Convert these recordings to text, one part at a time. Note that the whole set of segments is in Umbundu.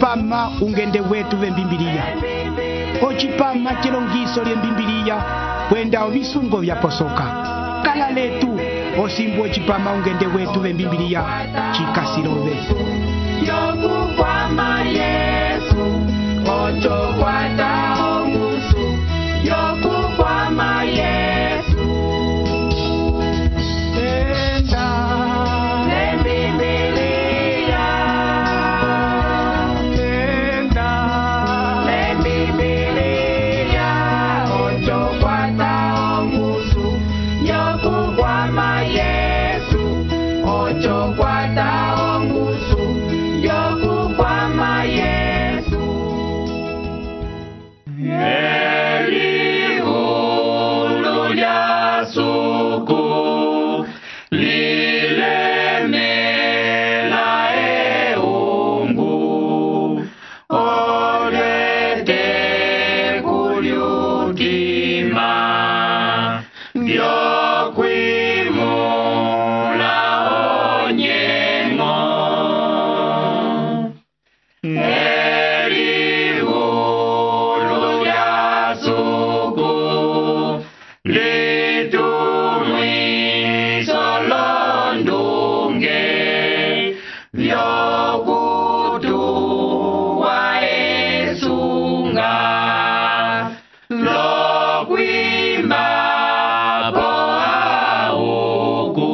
ocipama ungende wetu vembimbiliya, ocipama cilongiso lyembimbiliya kwenda ovisungo vyaposoka. Kala letu osimbu ocipama ungende wetu vembimbiliya cikasilove. Yokukwama Yesu, ocho kwata ongusu. Yokukwama Yesu, Enda lembimbiliya, enda lembimbiliya, ocho kwata ongusu. Yokukwama Yesu, ocho kwata ongusu. Yokukwama Yesu. Elihulu lyasuku lilemela eungu, olwete kulyutima vyokwimula onyengo. Elihulu lyasuku litumwiso londunge vyokutuwa esunga lokwimba po auku.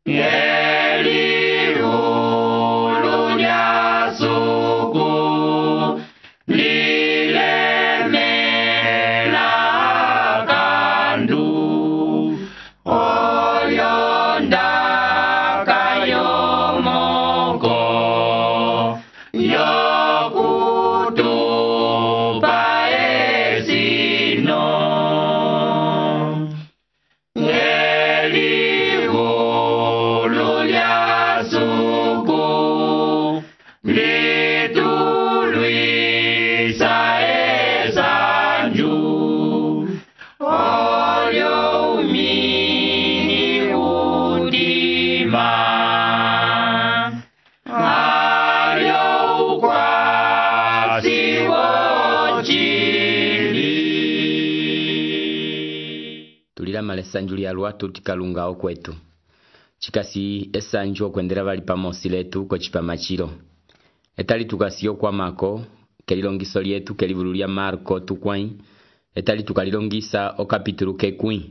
Elihulu lyasuku lilemela kandu, olyondaka yomoko yokutupa esino. Elihulu lyasuku litulwisa esanju, olyoumini udima, alyoukwasi wocili. Tulilamala esanju lyalwa tutikalungao kwetu. Chikasi esanju okwendera bali pamosi letu kocipama cilo. Etali tukasiyo kwa mako, kelilongiso lietu kelivulu lya Marko tukwai. Etali tukalilongisa o kapitulu kekwi.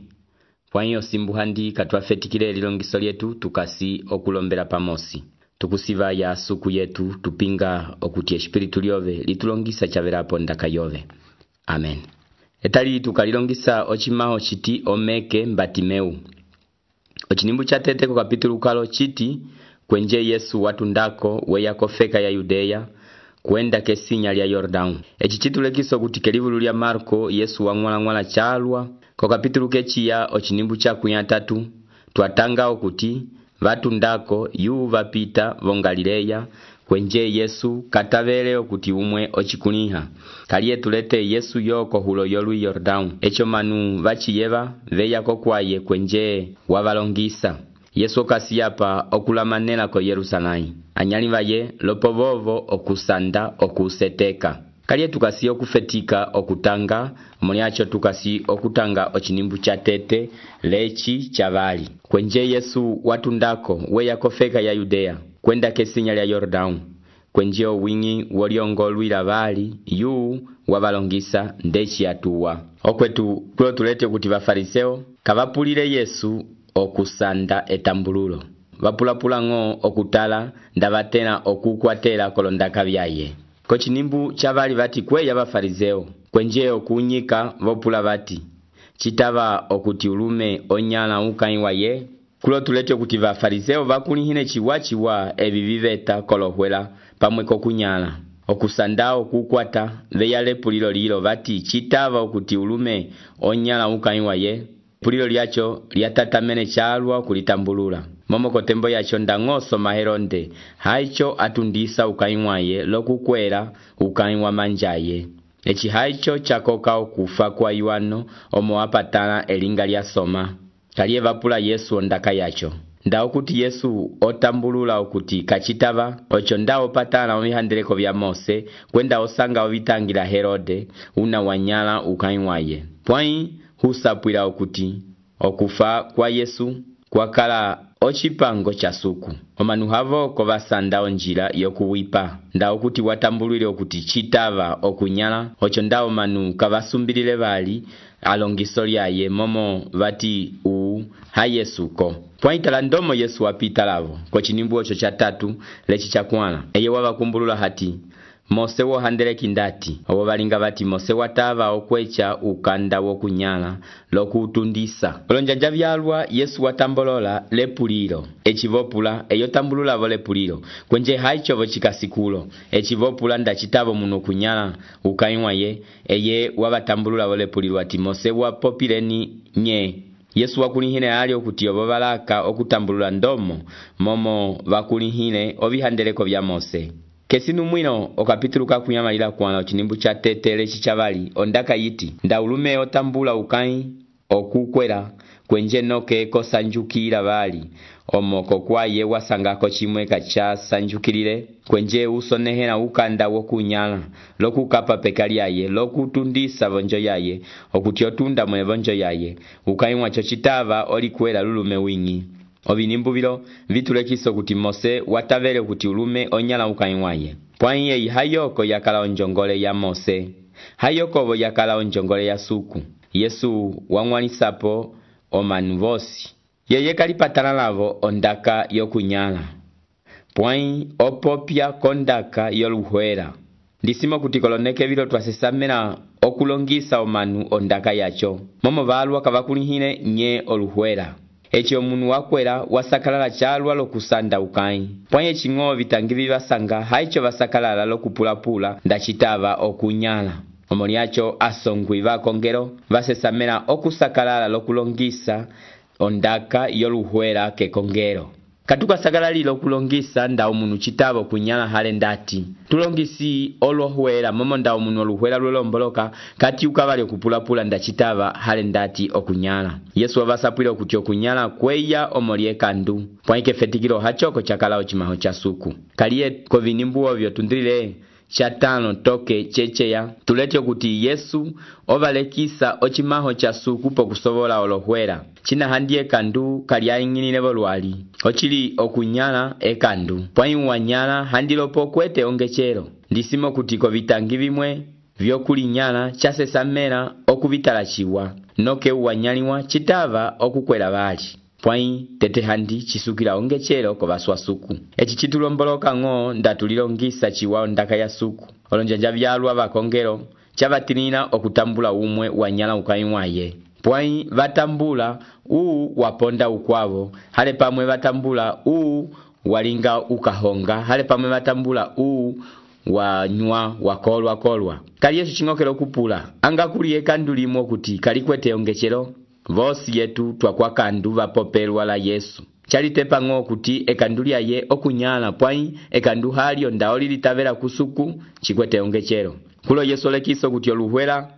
Pwanyi osimbu handi katwafetikile lilongiso lietu tukasi okulombela pamosi. Tukusiva ya suku yetu tupinga okuti espiritu lyove litulongisa chavelapo ndaka yove. Amen. Etali tukalilongisa ochimaho chiti omeke Mbatimeu. Ochinimbu cha tete kwa kapitulu kalo chiti kwenje Yesu watu ndako weya kofeka ya Yudeya kwenda kesinya lya Yordanu. Echi chitulekiso kuti kelivulu lya Marko Yesu wangwala chalwa kwa kapitulu kechiya ochinimbu cha kunyatatu twatanga okuti vatu ndako yu vapita vo Galileya kwenje Yesu katavele okuti umwe ochikuliha. Kaliye tulete Yesu yoko hulo yolu Yordanu. Echo manu vachiyeva veya kokwaye kwenje wavalongisa. Yesu kasiyapa okulamanela ko Yerusalai. Anyali vaye lopovovo okusanda okuseteka. Kaliye tukasi okufetika okutanga, muliacho tukasi okutanga ochinimbu cha tete lechi chavali. Kwenje Yesu watu ndako weya kofeka ya Yudeya kwenda kesinya lya Yordanu. Kwenje owingi woliongolwila vali yu wavalongisa ndechi atuwa. Okwetu kulo tulete kuti vafariseo kavapulile Yesu okusanda etambululo. Vapulapula ngo okutala ndavatena okukwatela kolondaka vyaye. Kochinimbu chavali vati kweya vafariseo kwenje okunyika vopula vati chitava okuti ulume onyala ukaiwa ye. Kulo tulete kuti vafariseo vakulihine chiwa evi viveta kolohwela pamwe kokunyala. Okusanda okukwata veyale pulilo lilo vati chitava okuti ulume onyala ukaiwa ye. Pulilo liacho liatatamene chalwa kulitambulula. Momo kotembo yacho ndangoso maheronde haicho atundisa ukaiwaye lokukwera ukaiwa manjaye. Echi haicho chakoka okufa kwa Yohano omo apatana elinga lya soma. Kaliye vapula Yesu ondaka yacho. Ndawo kuti Yesu otambulula okuti kachitava ocho ndawo patala ovihandeleko vya Mose kwenda osanga ovitangila Herode una wanyala ukai waye. Pwai husapwila okuti okufa kwa Yesu kwakala ochipango cha suku. Omanu havo kovasanda onjila yokuwipa. Ndawo kuti watambulile okuti chitava okunyala ocho ndawo manu kavasumbilile vali alongiso lyaye momo vati ha Yesuko. Pwaitala ndomo Yesu wapita lavo kochinimbu ocho cha tatu lechi cha kwana. Eye wavakumbulula hati Mose wohandeleki ndati owo balinga bati Mose watava okwecha ukanda wokunyala lokutundisa. Olonjanja vyalwa Yesu watambolola lepulilo echivopula eyo tambulula vo lepulilo kwenje haichovo chikasikulo echivopula ndachitavo muno kunyala ukaiwa ye eye wavatambulula vo lepulilo ati Mose wapopileni nye. Yesu wakulihine ali okuti obo balaka okutambulula ndomo momo wakulihine ovihandeleko vya Mose. Kesinu mwino okapituluka kunyamalila kwana ochinimbu cha tetele chichabali ondaka yiti ndaulume otambula ukai okukwela kwenje noke kosanjukila bali omoko kwaye wasangako chimwe kacha sanjukilile kwenje usonehena ukanda wokunyala lokukapa pekali yaye lokutundisa vonjo yaye okuti otunda mwe vonjo yaye ukai mwacho chitava olikwela lulume wingi. Ovinimbu vilo vitulekiso kuti Mose watavele kuti ulume onyala ukaimwaye. Pwaiye hayoko yakala onjongole ya Mose. Hayokovo yakala onjongole ya suku. Yesu wangwanisapo omanu vosi. Yeye kalipatana lavo ondaka yokunyala. Pwai opopya kondaka yoluhwera. Ndisimo kuti koloneke vilo twasesamena okulongisa omanu ondaka yacho. Momo valwa kavakulihine nye oluhwera. Echi omunu wakwela wasakalala chalwa lokusanda ukai. Pwanye chingo vitangivi vasanga haicho vasakalala lokupulapula ndachitava okunyala. Omoniacho asongwi vakongero vasesamela okusakalala lokulongisa ondaka yoluhwera ke kongero. Katuka sakalali lokulongisa nda omunu chitava okunyala hale ndati. Tulongisi olohwera momo nda omunu oluhwera lwelomboloka kati ukavali okupulapula ndachitava hale ndati okunyala. Yesu wavasapwile okuti okunyala kweya omolie kandu. Pwaike fetikilo hachoko chakala ochimaho cha suku. Kaliye kovinimbu ovyo tundrile chatano toke checheya tulete okuti Yesu ovalekisa ochimaho cha suku pokusovola olohwera. China handie kandu kaliaingilile volwali. Ochili okunyala ekandu. Pwai wanyala handilopo kwete ongechero. Ndisimo kuti kovitangi vimwe vyokulinyala chasesamela okuvitalachiwa. Noke uwanyaliwa chitava okukwela vali. Pwai tete handi chisukila ongechero kovaswa suku. Echi chitulomboloka ngo ndatulilongisa chiwa ondaka ya suku. Olonjanja vyalwa vakongero chavatinina okutambula umwe wanyala ukaimwaye. Pwai vatambula waponda ukwavo. Hale pamwe vatambula walinga ukahonga. Hale pamwe vatambula wanywa wakolwa. Kali Yesu chingokelo kupula. Anga kuliye kandulimo kuti kalikwete ongechero. Vosi yetu twakwa kandu vapopelwa la Yesu. Chalitepa ngo kuti ekandulia ye okunyala pwai ekandu halio ndaoli litavela kusuku chikwete ongechero. Kulo Yesu lekiso kuti oluhwera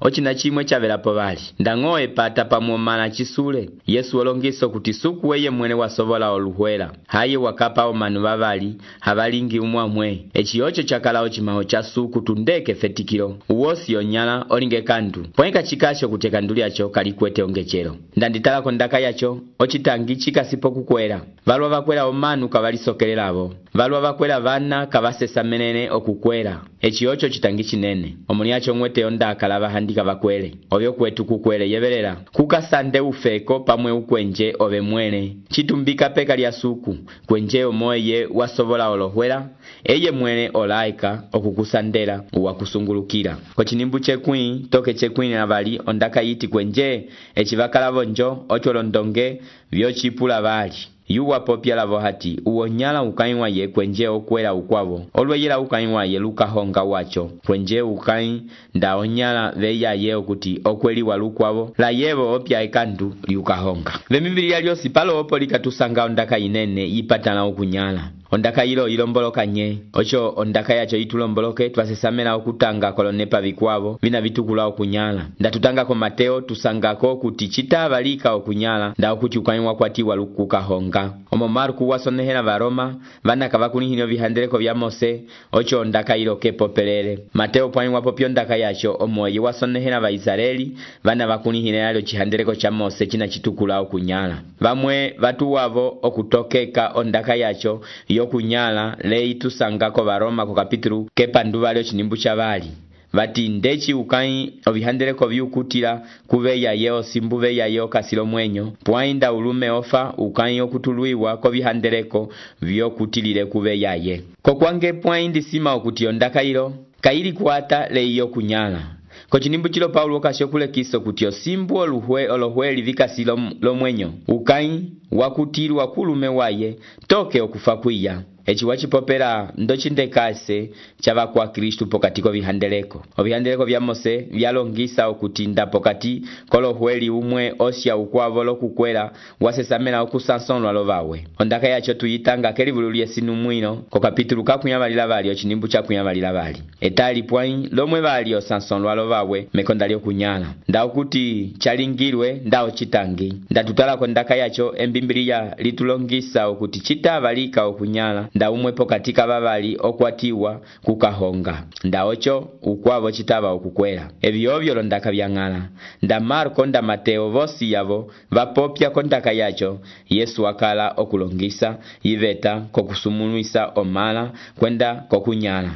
ochina chimwe chavela povali. Ndangoe pata pamuomana chisule. Yesu olongiso kuti suku weye mwene wasovola oluhwera. Haye wakapa omanu vavali havalingi umwamwe. Echi ocho chakala ochimaho cha suku tundeke fetikilo. Uwosi onyala olinge kandu. Pweka chikasho kutekanduli yacho kalikwete ongechero. Ndanditala kondaka yacho ochitangi chikasipo kukwela. Valwa vakwela omanu kavalisokelelavo. Valwa vakwela vana kavasesa menene okukwela. Echi ocho chitangi chinene. Omoniacho mwete ondaka lava handika vakwele. Ovyo kwetu kukwele yevelela. Kukasande ufeko pamwe ukwenje ove mwene. Chitumbika peka lya suku. Kwenje omoye wasovola olohwela. Eye mwene olaika okukusandela uwakusungulukira. Kochinimbu chekwini toke chekwini na vali ondaka yiti kwenje. Echi vakala vonjo ocholondonge vyochipula vali. Yuwa popya lavo hati uonyala ukainwa ye kwenje okwela ukwavo. Olweyela ukainwa ye lukahonga wacho. Kwenje ukain nda onyala veya ye okuti okweli walukwavo. La yevo opya ekandu liukahonga. Vemibili yaliosi palo opo likatusanga ondaka inene ipatana okunyala. ondaka yilo ilomboloka nye ocho ondaka yacho itulomboloke twasesamela okutanga kolonepa vikwavo vina vitukula okunyala ndatutangako Mateo tusangako kuti citavalika okunyala nda okuti ukani wakwatiwa lukukahonga omo Marku wasonehela Varoma vanaka vakunihile vihandeleko vya Mose ocho ondaka yilo kepopelele Mateo pwani wapopyo ondaka yacho omoye wasonehela Vaisraeli vana vakunihile yalo chihandeleko cha Mose china chitukula okunyala vamwe vatuwavo okutokeka ondaka yacho yokunyala lei tusangako Varoma ko kapitulu kepanduvali chinimbu cha vali vati ndechi ukai ovihandeleko vyukutila kuveya yeo simbuve ya yeo kasilo mwenyo pwainda ulume ofa ukai okutuluiwa ko vihandeleko vyokutilile kuveya ye kokwange pwaindi sima okuti ondaka ilo kaili kuata leiyo kunyala kochinimbu chilo Paulo kashokule kiso kuti osimbu olohweli vikasilo lomwenyo ukai wakutilwa kulume waye toke okufa kwiya echi wachipopela ndochindekase chava kwa Kristu pokati ko vihandeleko ovihandeleko vya Mose vyalongisa okutinda pokati kolohweli umwe osya ukwavo lokukwela wasesamela okusansonwa lovawe ondaka yacho tuyitanga kelivululie sinu mwino ko kapitulu kakunyavalila vali ochinimbu cha kunyavalila vali etali pwai lomwe vali osansonwa lovawe mekonda lyokunyala nda okuti chalingilwe nda ochitangi ndatutala ko ndaka yacho embimbiliya litulongisa okuti chitavalika okunyala nda umwepo katika vavali okwatiwa kukahonga nda ocho ukwavo chitava okukwela evyovyo londaka vyang'ala nda Marko nda Mateo vosi yavo vapopya kondaka yacho Yesu akala okulongisa yiveta kokusumulwisa omala kwenda kokunyala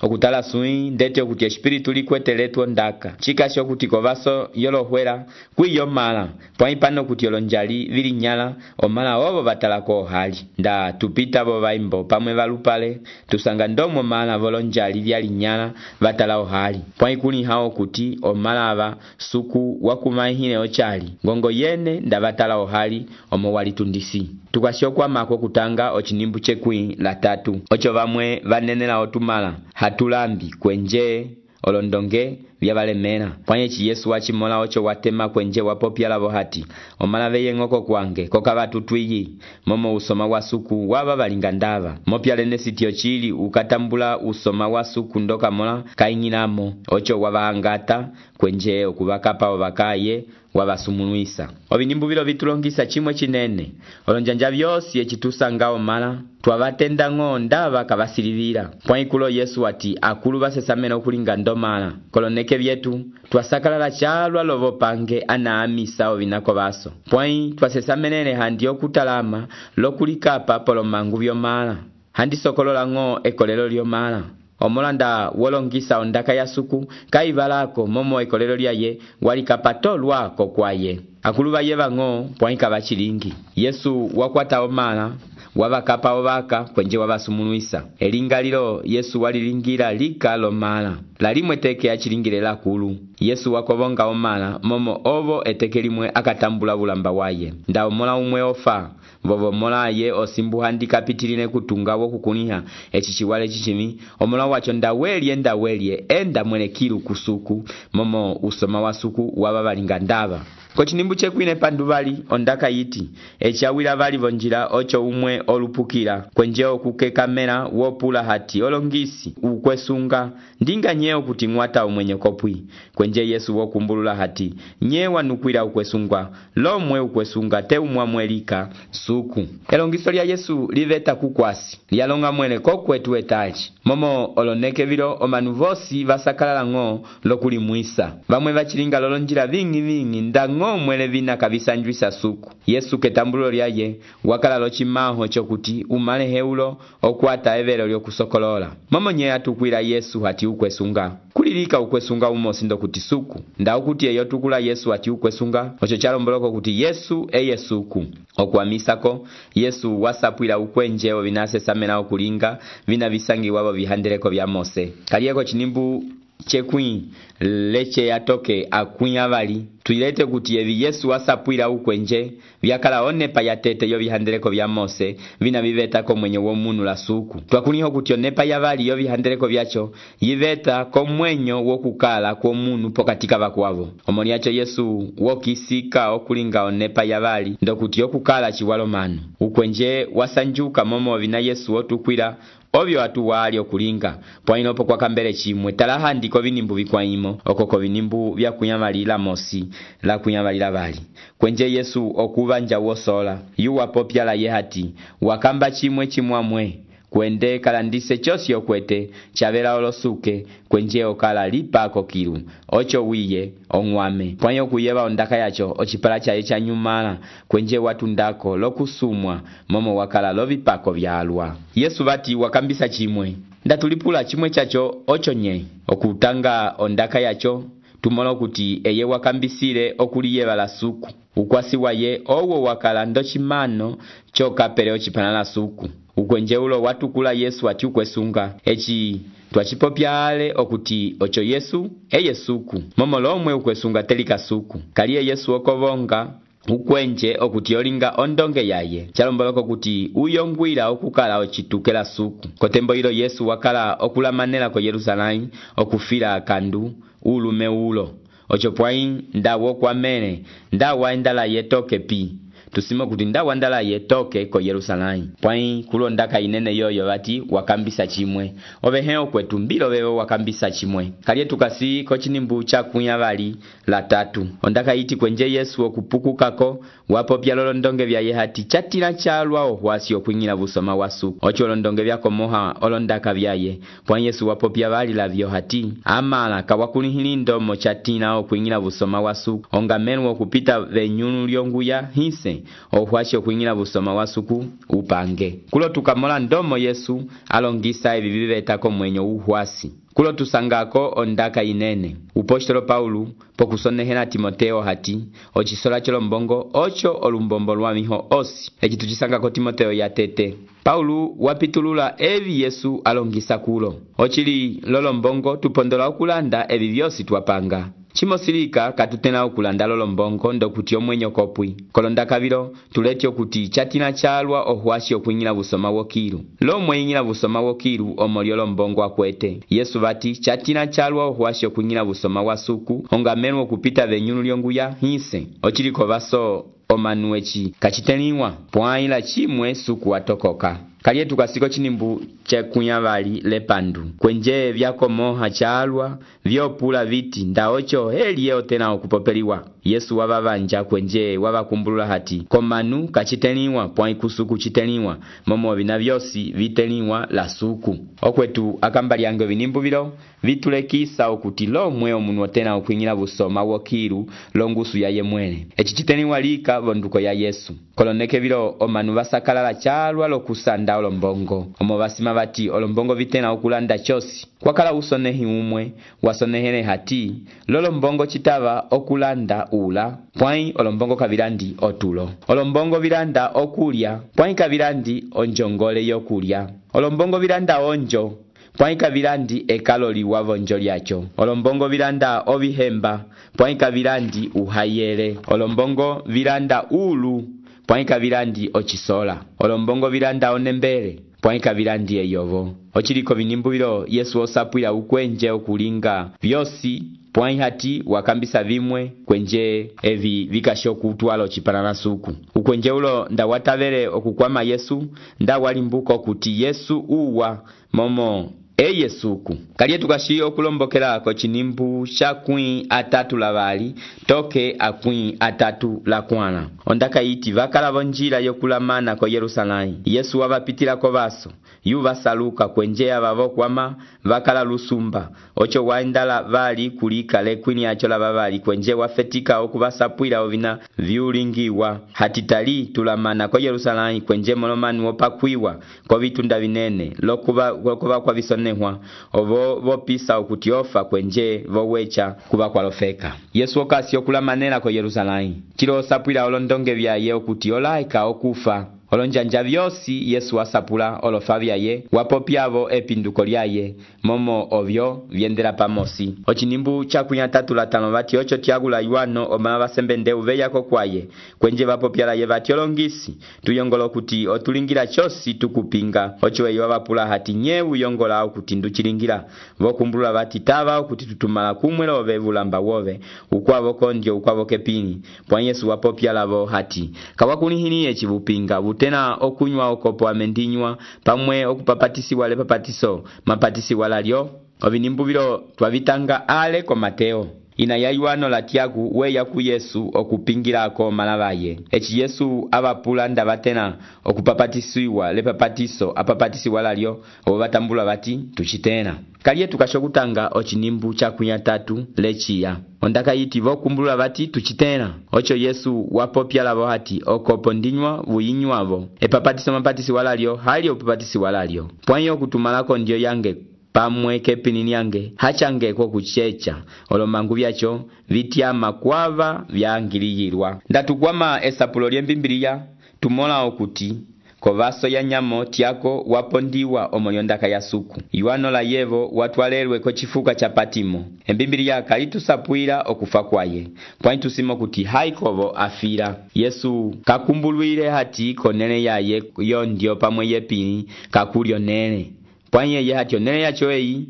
okutala sui ndete okuti espiritu likweteletu ndaka chikasho kuti kovaso yolohwela kwiyo mala pwaipano kuti olonjali vilinyala omala ovo batalako hali nda tupita bo vaimbo pamwe valupale tusanga ndomo mala volonjali vyalinyala batalao hali pwaikuni hao kuti omala ava suku wakumahine ochali ngongo yene nda batalao hali omo walitundisi tukashokwa mako kutanga ochinimbu chekwi la tatu ocho vamwe vanenela otumala hatulambi kwenje olondonge vyabalemera pwanyechi Yesu wachimola ocho watema kwenje wapopya lavo hati omala veye ngoko kwange koka vatutwiyi momo usoma wa suku waba balingandava mopya lene sitio chili ukatambula usoma wa suku ndoka mola kaingilamo ocho wabahangata kwenje okubakapa obakaye wabasumulwisa ovinimbu vilo vitulongisa chimwe chinene olonjanja vyosi echitusanga omala twavatenda ng'o ndava kavasilivira pwaikulo Yesu ati akulu basesamena okulinga ndomala koloneke vyetu twasakalala chalwa lovo pange anaamisa ovinako vaso pwai twasesamenene handi okutalama lokulikapa polomangu vyomala handi sokolola ng'o ekolelo lyomala omolanda wolongisa ondaka ya suku kaivalako momo ekolelo lyaye walikapatolwa kokwaye akulu baye bang'o pwaika bachilingi Yesu wakwata omala wabakapa obaka kwenje wabasumulwisa elingalilo Yesu walilingira lika lomala lalimwe teke achilingile lakulu Yesu wakobonga omala momo ovo eteke limwe akatambula bulamba waye nda omola umwe ofa vovo mola ye osimbu handi kapitiline kutunga wokukuniha echichiwale chichimi omola wacho ndawelye enda mwelekilu kusuku momo usoma wa suku wababalinga ndava kochinimbu chekwine panduvali ondaka yiti echawila vali vonjila ocho umwe olupukila kwenjeo kukekamela wopula hati olongisi ukwesunga ndinga nyeo kuti ngwata umwenye kopwi kwenje Yesu wokumbulula hati nyewa nukwila ukwesungwa lomwe ukwesunga te umwamwelika suku elongiso lya Yesu liveta kukwasi lyalonga mwene kokwetu etaji momo oloneke vilo omanu vosi vasakalala ng'o lokulimwisa vamwe vachilinga lolonjila vingi ndango mwele vina kabisanjwisa suku Yesu ketambulo lyaye wakala lochimaho chokuti umale heulo okwata evelo lyokusokolola momo nye atukwila Yesu hati ukwesunga kulilika ukwesunga umosi ndo kuti suku nda ukuti eyo tukula Yesu hati ukwesunga ocho chalomboloko kuti Yesu eye suku okwamisako Yesu wasapwila ukwenjeo vinase samena okulinga vina visangi wabo vihandeleko vya Mose kalieko chinimbu chekwĩ leche yatoke akwĩ avali tuilete kuti evi Yesu wasapwila ukwenje vyakala onepa yatete yo vihandeleko vya Mose vina viveta ko mwenye womunu la suku twakuniho kuti onepa yavali yo vihandeleko vyacho yiveta ko mwenyo wokukala kwa munu pokatika vakwavo omoni yacho Yesu wokisika okulinga onepa yavali ndokuti yokukala chiwalo manu ukwenje wasanjuka momo vina Yesu otukwila ovyo atu wali okulinga pwainopo kwa kambele chimwe talaha ndiko vinimbu vikwaimo okoko vinimbu vya kunyamalila Mosi la kunyamalila vali kwenje Yesu okuvanja wosola yuwa popyala yehati wakamba chimwe chimwamwe kwende kalandise chosi okwete chavela olosuke kwenje okala lipako kilu ocho wiye ongwame pwanyo kuyeva ondaka yacho ochipala chaye cha nyumala kwenje watu ndako lokusumwa momo wakala lovipako vyalwa Yesu vati wakambisa chimwe ndatulipula chimwe chacho ocho nye okutanga ondaka yacho tumono kuti eye wakambisile okuliyeva la suku ukwasi waye owo wakala ndochimano chokapele ochipana la suku ukwenje ulo watukula Yesu ati ukwesunga echi twachipopyale okuti ocho Yesu suku momo lomwe ukwesunga telika suku kaliye Yesu okovonga ukwenje okuti olinga ondonge yaye chalomboloko kuti uyongwila okukala ochitukela suku kotembo ilo Yesu wakala okulamanela ko Yerusalemu okufila akandu ulume ulo ocho pwai ndawo kwamene ndawa endala yetoke pi tusimo kuti ndawa ndala yetoke ko Yerusalemu pwai kulondaka inene yoyo vati wakambisa chimwe oveheo kwetu mbilo vewo wakambisa chimwe kaliye tukasi ko chinimbu cha kunyavali la tatu ondaka iti kwenje Yesu okupukukako wapo pyalolo ndonge vya yehati chatila chalwa ohwasi okwingila busoma wasu ocho londonge vyako moha olondaka vyaye pwai Yesu wapo pyavali la vyo hati amala kawakunihilindo mo chatina okwingila busoma wasu ongamenu okupita venyunu lyonguya hise ohwasho kuingila busoma wasuku upange kulo tukamola ndomo Yesu alongisa evi vivetako mwenyo uhwasi kulo tusangako ondaka inene upostolo Paulo pokusonehela Timoteo hati ochisola cholombongo ocho olumbombo lwamiho osi echi tuchisangako Timoteo yatete Paulo wapitulula evi Yesu alongisa kulo ochili lolombongo tupondola okulanda evi vyosi twapanga chimosilika katutena okulanda lolombongo ndokuti omwenyo kopwi kolonda kabilo tuleti okuti chatina chalwa ohwashi okunyila busoma wokilu lomwe inyila busoma wokilu omolyo lombongo akwete Yesu vati chatina chalwa ohwashi okunyila busoma wasuku ongamenu okupita venyunu lyonguya hise ochiliko baso omanuechi kachiteniwa pwaila chimwe suku watokoka kaliye tukasiko chinimbu chekunyavali lepandu kwenje vyako moha chalwa vyopula viti ndaocho heli yeo tena okupopeliwa Yesu wabavanja kwenje wabakumbulula hati komanu kachiteniwa pwai kusuku chiteniwa momo vina vyosi viteniwa la suku okwetu akambali yange vinimbu vilo vitulekisa okuti lomwe omunu tena okuingila busoma wokilu longusu ya yemwene echi chiteniwa lika vonduko ya Yesu koloneke vilo omanu basakalala chalwa lokusanda olombongo omo basima bati olombongo vitena okulanda chosi kwakala usonehi umwe wasonehele hati lolombongo chitava okulanda ula pwai olombongo kavirandi otulo olombongo viranda okulya pwai kavirandi onjongole yokulya olombongo viranda onjo pwai kavirandi ekaloli wavonjo lyacho olombongo viranda ovihemba pwai kavirandi uhayele olombongo viranda ulu pwai kavirandi ochisola olombongo viranda onembele pwai kavirandi eyovo ochiliko vinimbu vilo Yesu osapwila ukwenje okulinga vyosi pwai hati wakambisa vimwe kwenje evi vikashoku utwalo chipanana suku ukwenje ulo ndawatavele okukwama Yesu ndawalimbuko kuti Yesu uwa momo Yesuku kaliye tukashi okulombokela ko chinimbu cha kwii atatu la vali toke akwii atatu la kwana ondaka iti vakala vonjila yokulamana ko Yerusalemu Yesu wabapitila ko baso yuva saluka kwenje abavokwama vakala lusumba ocho waindala vali kulika lekwini acho la bavali kwenje wafetika okubasapwila ovina viulingiwa hatitali tulamana ko Yerusalemu kwenje molomani wopakwiwa ko vitunda vinene lokuba kwa visonehwa ovo vopisa okuti ofa kwenje vowecha kuba kwalofeka Yesu okasi okulamanela ko Yerusalemu chilo sapwila olondonge vyaye okuti olaika okufa olonjanja vyosi Yesu wasapula olofa vyaye wapopyavo epinduko lyaye momo ovyo vyendela pamosi. Ochinimbu chakunya 3:5 vati ocho tiagula Yohano omala vasembe ndeu veyako kwaye kwenje vapopyalaye vati olongisi tuyongola kuti otulingira chosi tukupinga ocho eyo vapula hati nyewu yongola okuti nduchilingira vokumbula vati tava okuti tutumala kumwela ovevulamba wove ukwavo kondyo ukwavo kepini pwa Yesu wapopyalavo hati kawakunihiniye chivupinga vutena okunywa okopo amendinywa pamwe okupapatisiwa le papatiso mapatisiwa lalyo ovinimbu vilo twavitanga ale ko Mateo ina ya Yohano la Tiagu weya ku Yesu okupingilako malavaye echi Yesu avapula ndavatena okupapatisiwa le papatiso apapatisiwa lalyo obo batambula bati tuchitena kaliye tukashokutanga ochinimbu chakunya 3 lechiya ondaka yiti vokumbula bati tuchitena ocho Yesu wapopyalavo hati okopo ndinywa vuyinywavo epapatiso mapatisiwa lalyo hali opapatisiwa lalyo pwanyo okutumalako ndio yange pamwe kepinini yange hachange kwa kuchecha olomangu vyacho vityama kwava vyangiliyirwa ndatukwama esapulo lyembimbiliya tumola okuti kovaso ya nyamo tiako wapondiwa omonyondaka ya suku Yohano la yevo watwalelwe ko chifuka cha Patimo embimbiliya kalitusapwila okufa kwaye pwani tusimo kuti haikovo afira Yesu kakumbulwile hati konene yaye yondio pamwe yepini kakulyo nene pwanye yehati onene yacho eyi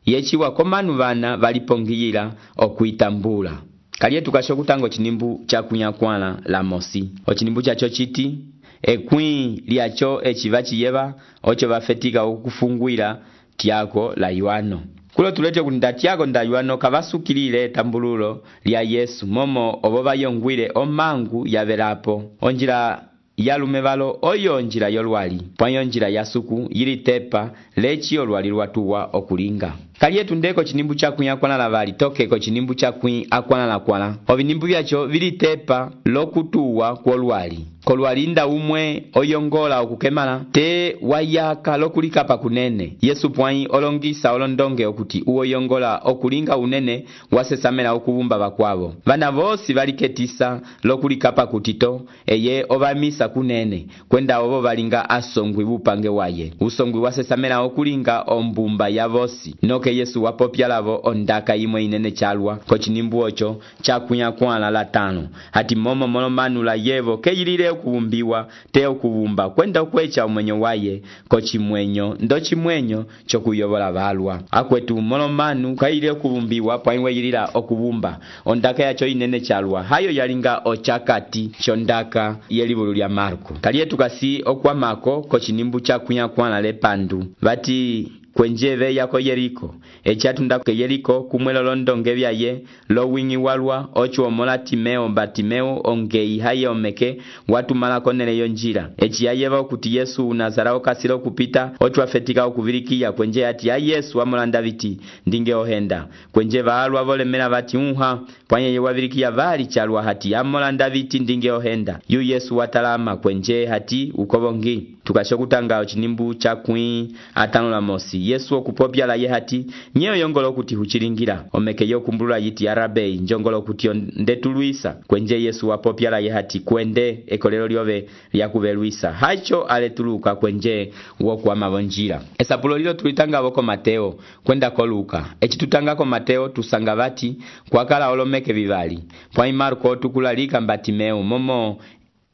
yechiwa komanu vana valipongiyila okuitambula kaliye tukashokutanga ochinimbu chakunyakwala la mosi ochinimbu chacho chiti ekwi lyacho echiva chiyeva ocho vafetika okufungwila tiako la Yohano kulo tulete kunda tiako nda Yohano kavasukilile tambululo lya Yesu momo obo bayongwile omangu yavelapo onjila yalume valo oyo njila yolwali pwanyo njila yasuku yili tepa lechi olwali lwatuwa okulinga kaliye tundeko chinimbu chakunya akwana la vali tokeko chinimbu chakunya akwana la kwala ovinimbu vyacho vili tepa lokutuwa kwolwali kolwalinda umwe oyongola okukemala te wayaka lokulikapa kunene Yesu pwanyi olongisa olondonge okuti uoyongola okulinga unene wasesamela okubumba bakwavo vana vosi valiketisa lokulikapa kutito eye ovamisa kunene kwenda ovo valinga asongwi bupange waye usongwi wasesamela okulinga ombumba ya vosi noke Yesu wapopyalavo ondaka imwe inene chalwa kochinimbu ocho chakunya kwala la 5 hati momo molomanu la yevo keyilile okubumbiwa te okubumba kwenda okwecha omwenyo waye kochimwenyo ndo chimwenyo chokuyobola balwa akwetu molomanu kayile okubumbiwa pwainwe yilila okubumba ondaka yacho inene chalwa hayo yalinga ochakati chondaka yelibulu lya Marko kaliye tukasi okwamako kochinimbu chakunya kwala le pandu bati kwenjeve yako Yeriko echatunda ke Yeriko kumwelo londonge byaye lo wingi walwa ocho omola Timeo Batimeo ongei haye omeke watu malako nele yonjira echiyayeva okuti Yesu Nazarao kasilo kupita ocho afetika okuvirikia kwenje ati ya Yesu amolanda viti ndinge ohenda kwenje baalwa volemela bati unha pwanye yewavirikia vali chalwa hati amolanda viti ndinge ohenda yu Yesu watalama kwenje hati ukobongi tukashokutanga ochinimbu chakwi 5 la mosi Yesu okupopya la ye hati nyeyo yongolo kuti huchilingira omeke yokumbulula yiti arabei njongolo kuti ndetuluisa kwenje Yesu wapopya la ye hati kwende ekolelo lyove lyakubeluisa hacho aletuluka kwenje wokuwa mavonjira esapulo lilo tulitanga woko Mateo kwenda ko Luka echitutanga ko Mateo tusanga vati kwakala olomeke vivali pwa Marko tukulalika Batimeo momo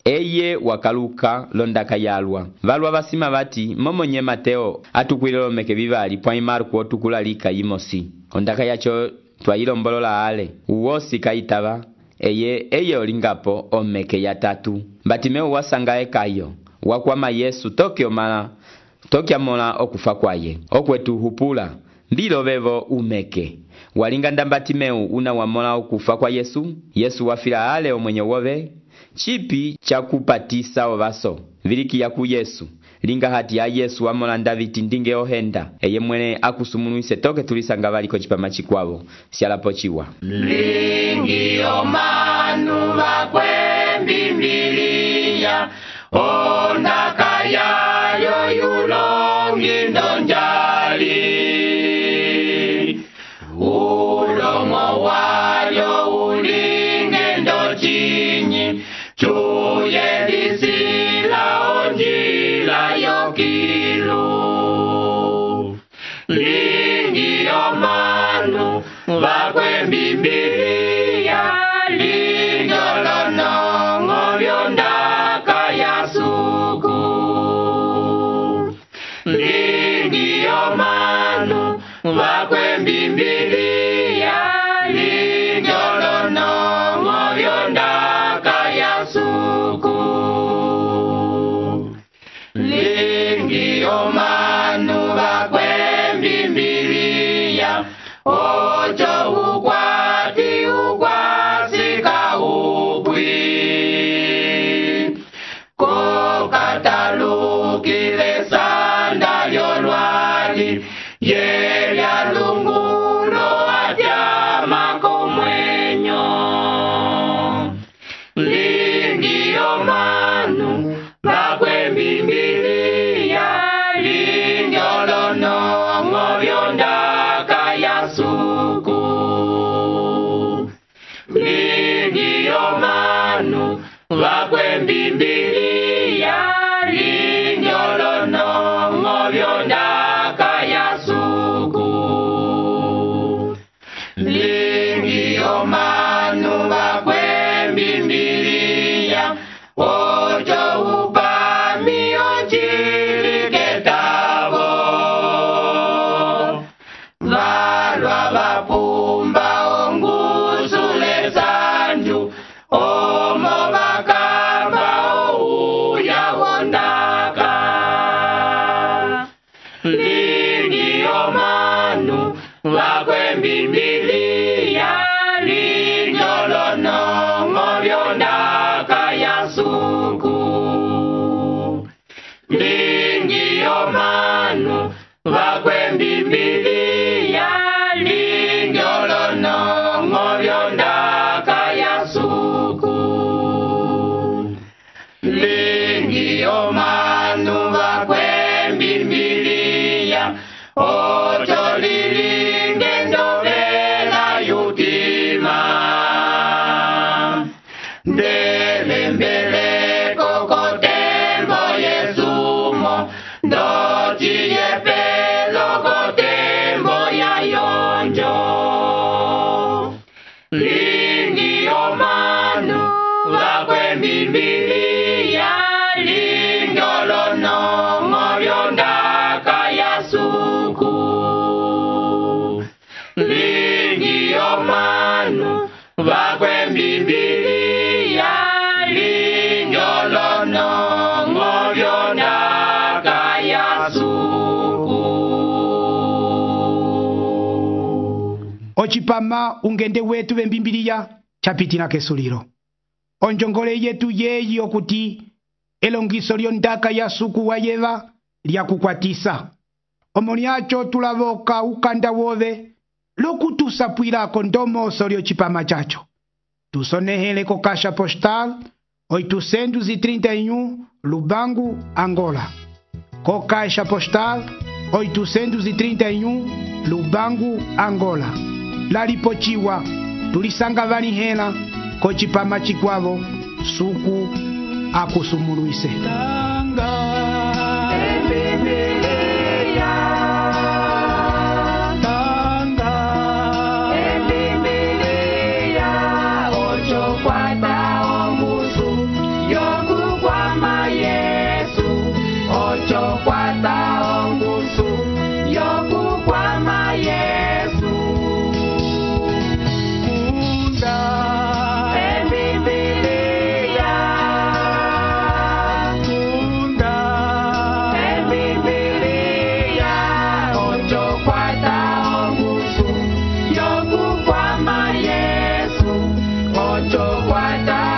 eye wakaluka londaka yalwa valwa basima bati momo nye Mateo atukwilelo meke bivali pwa Marko tukulalika yimosi ondaka yacho twayilombolola ale uwosi kaitaba eye olingapo omeke ya 3 Batimeo wasanga ekayo wakwama Yesu tokya mola okufa kwaye okwetu hupula mbilo bevo umeke walinga Batimeo una wamola okufa kwa Yesu wafila ale omwenye wove chipi chakupatisa ovaso viliki ya ku Yesu linga hati ya Yesu wamola Daviti ndinge ohenda eye mwene akusumunuise toke tulisanga valiko chipama chikwavo sialapo chiwa lingi omanu vakwe mbimbiliya ondaka yayo yulongi ndonjali ulomo wayo ulinge ndochinyi chuye disila Biblia linjolonongo vyondaka ya suku. Lingio manu vakwe Biblia linjolonongo vyondaka ya suku. Lingio manu vakwe Biblia ocho ukwati ukwasika upwi. Kokatalukile sanda lyolwali yelya lungulo atyama komwenyo. Lingio manu vakwe Biblia linjolonongo vyondaka ya suku. Lingio manu vakwe Biblia linjolonongo vyondaka ya suku. Lingio manu vakwe Biblia ocho upami ochiliketavo. Valwa vapumba ongusule sanju omo vakamba ouya wondaka. Lingio manu vakwe Biblia linjolonongo vyondaka ya suku. Lingio manu vakwe Biblia linjolonongo vyondaka ya suku. Lingio manu vakwe Biblia ocho lilinge ndovela yutima. Ndelembeleko kotembo yesumo ndochiye pelo kotembo ya yonjo. Lingio manu vakwe Biblia linjolonongo vyondaka ya suku. Lingio manu vakwe Biblia linjolonongo vyondaka ya suku. Ochipama ungende wetu vembimbiliya chapitila kesulilo. Onjongole yetu yeyi okuti elongiso lyondaka ya suku wayeva lyakukwatisa. Omo lyacho tulavoka ukanda wove lokutusapwilako ndomoso lyochipama chacho. Tusonehele ko Caixa Postal 831 Lubangu, Angola. Ko Caixa Postal 831 Lubangu, Angola. Lalipochiwa tulisanga vanihela ko chipama chikwavo suku akusumuluise. Ocho cuarta